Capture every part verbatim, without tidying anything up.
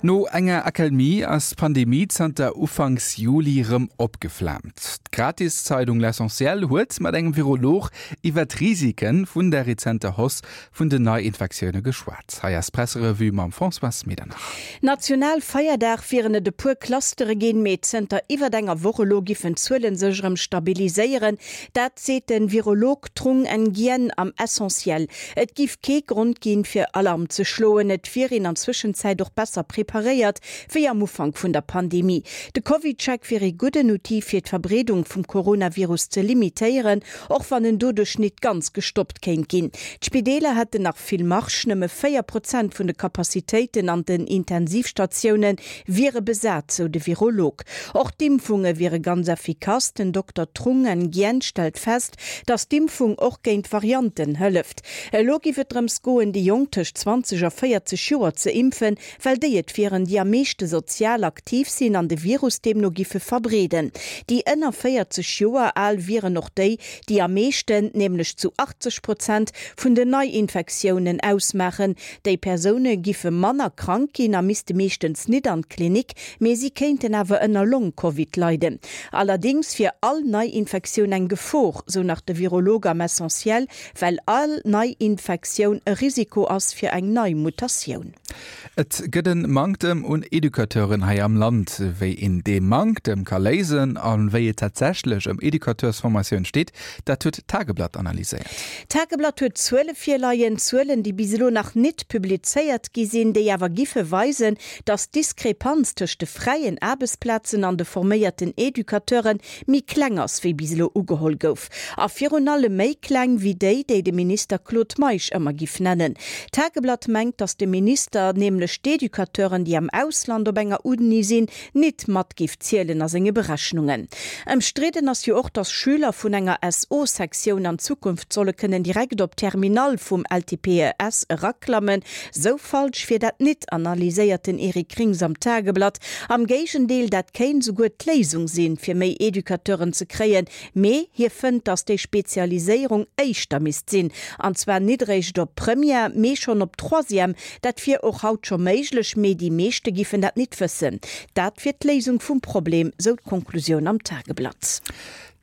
No enger Accalmie ass d'Pandemie zanter Ufanks Juli rëm opgeflaamt. D'Gratiszeitung L'Essentiel huet mat engem Virolog iwwer d'Risike vun der rezenter Hausse vun den Neiinfektioune geschwat. Hei ass d'Presserevue mam Françoise Medernach. National Feierdag wieren et e puer Clustere ginn, mee zënter iwwer enger Woch elo giffen d'Zuele sech erëm stabiliséieren. Dat seet de Virolog Trung Nguyen am Essentiel. Et giff kee Grond ginn, fir Alarm ze schloen. Et wier een an Zwëschenzäit och besser preparéiert wéi am Ufank vun der Pandemie. De CovidCheck wier ee gudden Outil fir d'Verbreedung vum Coronavirus ze limitéieren, och wann en doduerch net ganz gestoppt kéint ginn. D'Spideeler hätten nach vill Marge, nëmme véier Prozent vun de Capacitéiten an den Intensivstatioune wiere besat, sou de Virolog. Och d'Impfunge wiere ganz effikass. Den Dokter Trung Nguyen stellt fest, datt d'Impfung och géint Varianten hëlleft. Elo giff et drëms goen, déi Jonk tëscht zwanzeg a véierzeg Joer ze impfen, well déi et wieren, déi am meeschte sozial aktiv sinn an de Virus deemno giffe verbreeden. Déi ënner véierzeg Joer al wieren och déi, déi am meeschten, nämlech zu achtzeg Prozent, vun den Neiinfektiounen ausmaachen. Déi Persoune giffe manner krank ginn a misste meeschtens nit an d'Klinik, mee si kéinten awer ënner Long-Covid leiden. Allerdéngs wier all Neiinfektioun eng Gefor, sou nach de Virolog am Essentiel, well all Neiinfektioun e Risiko ass fir eng nei Mutatioun. Et gëtt e Manktem un Educateuren hei am Land. Wéi een dee Manktem ka léisen a wéi et tatsächlech ëm Educateursformatioun steet, dat huet d'Tageblatt analyséiert. D'Tageblatt huet Zuele virleien, Zuelen, déi bis elo nach nit publizéiert gi sinn, déi awer giffe weisen, datt d'Diskrepanz tëscht de fräien Aarbechtsplazen an de forméierten Educateure méi kleng ass, wéi bis elo ugeholl gouf. A virun allem méi kleng wéi déi, déi de Minister Claude Meisch ëmmer giff nennen. D'Tageblatt mengt, datt de Minister nämlech d'Educateuren, déi am Ausland op enger Uni sinn, nit mat giff zielen a senge Berechnungen. Ëmstridden ass jo och, datt Schüler vun enger S O-Sektioun an Zukunft solle kënnen direkt op d'Terminale vum L T P E S eraklammen. Sou falsch wier dat nit, analyséiert den Eric Krings am Tageblatt. Am Géigendeel, dat kéint souguer d'Léisung sinn, fir méi Educateuren ze kréien. Mee hie fënnt, datt déi Spezialiséierung éischter misst sinn, an zwar nit eréischt op Première, mee schonn op Troisième. Dat wier och haut scho méiglech, mee déi meeschte giffen dat nit wëssen. Dat wier d'Léisung vum Problem, sou d'Konklusioun am Tageblatt.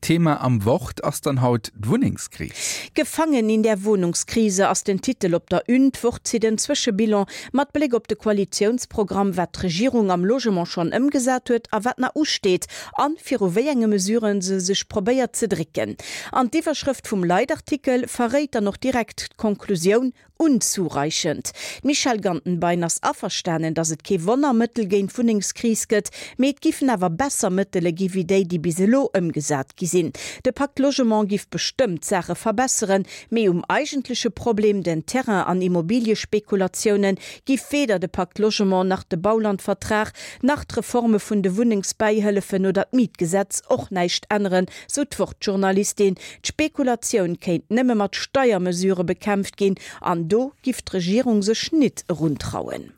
Thema am Wort ass dann haut d'Wunnengskris. Gefangen in der Wohnungskrise ass den Titel op der Une. D'Wort zitt en Zwëschebilan mat Bléck op de Koalitiounsprogramm, wat d'Regierung am Logement schonn ëmgesat huet a wat nach usteet an viru wéi enge Mesuren se sech probéiert ze drécken. An d'Iwwerschrëft vum Leitartikel verréit dann och direkt d'Konklusioun, Unzureichend. D'Michèle Gantenbein ass averstanen, datt et kee Wonnermëttel géint d'Wunnengskris gëtt, mee et giffen awer besser Mëttele gi wéi déi, déi bis elo ëmgesat gi sinn. De Pacte Logement giff bestëmmt d'Saache verbesseren, mee um eigentleche Problem, den Terrain an Immobiliespekulatiounen, giff weder de Pacte Logement nach de Baulandvertrag nach d'Reforme vun de Wunnengsbäihëllefen oder d'Mietgesetz och näischt änneren, sou d'Wort-Journalistin. D'Spekulatioun kéint nëmme mat Steiermesurë bekämpft ginn an do giff d'Regierung sech nit eruntrauen.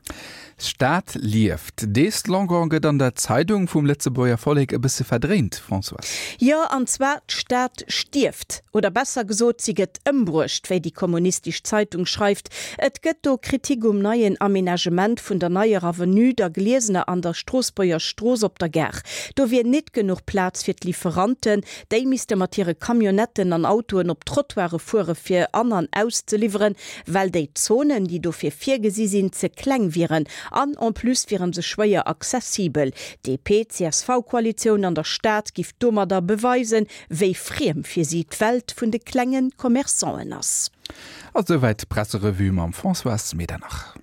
D'Stad lieft. Dee Slogan gëtt an der Zeidung vum Lëtzebuerger Vollek e bësse verdréint, Françoise. Jo, an zwar d'Stad stierft. Oder besser gesot, si gëtt ëmbruecht, wéi déi kommunistesch Zeitung schreift. Et gëtt do Kritik um neien Amenagement vun der neier Avenue der Gliesener an der Stroossbuerger Strooss op der Gare. Do wier nit genuch Plaz fir d'Liwweranten, déi misste mat hire Camionnetten an Autoen op d'Trottoire fuere fir an an auszeliwweren, well déi Zonen, déi dofir virgesi sinn, ze kleng wieren. An en plus wieren se schwéier accessibel. D P C S V-Koalitioun an der Stad giff domadder beweisen, wéi friem fir si d'Welt vun de klenge Commerçanten ass. A souwäit d'Presserevue mam Françoise Medernach.